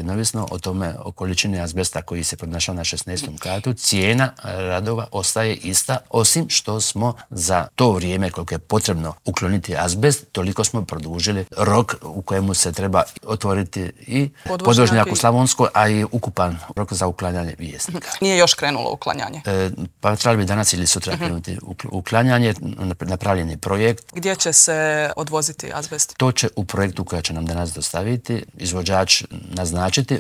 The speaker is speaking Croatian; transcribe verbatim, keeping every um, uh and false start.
Neovisno o tome, o količini azbesta koji se pronašao na šesnaestom katu, cijena radova ostaje ista, osim što smo za to vrijeme koliko je potrebno ukloniti azbest, toliko smo produžili rok u kojemu se treba otvoriti i podvožnjak u Slavonskoj, a i ukupan rok za uklanjanje Vjesnika. Nije još krenulo uklanjanje? E, pa trebali bi danas ili sutra krenuti uh-huh. uklanjanje, napravljeni projekt. Gdje će se odvoziti azbest? To će u projektu koja će nam danas dostaviti izvođač naznačiti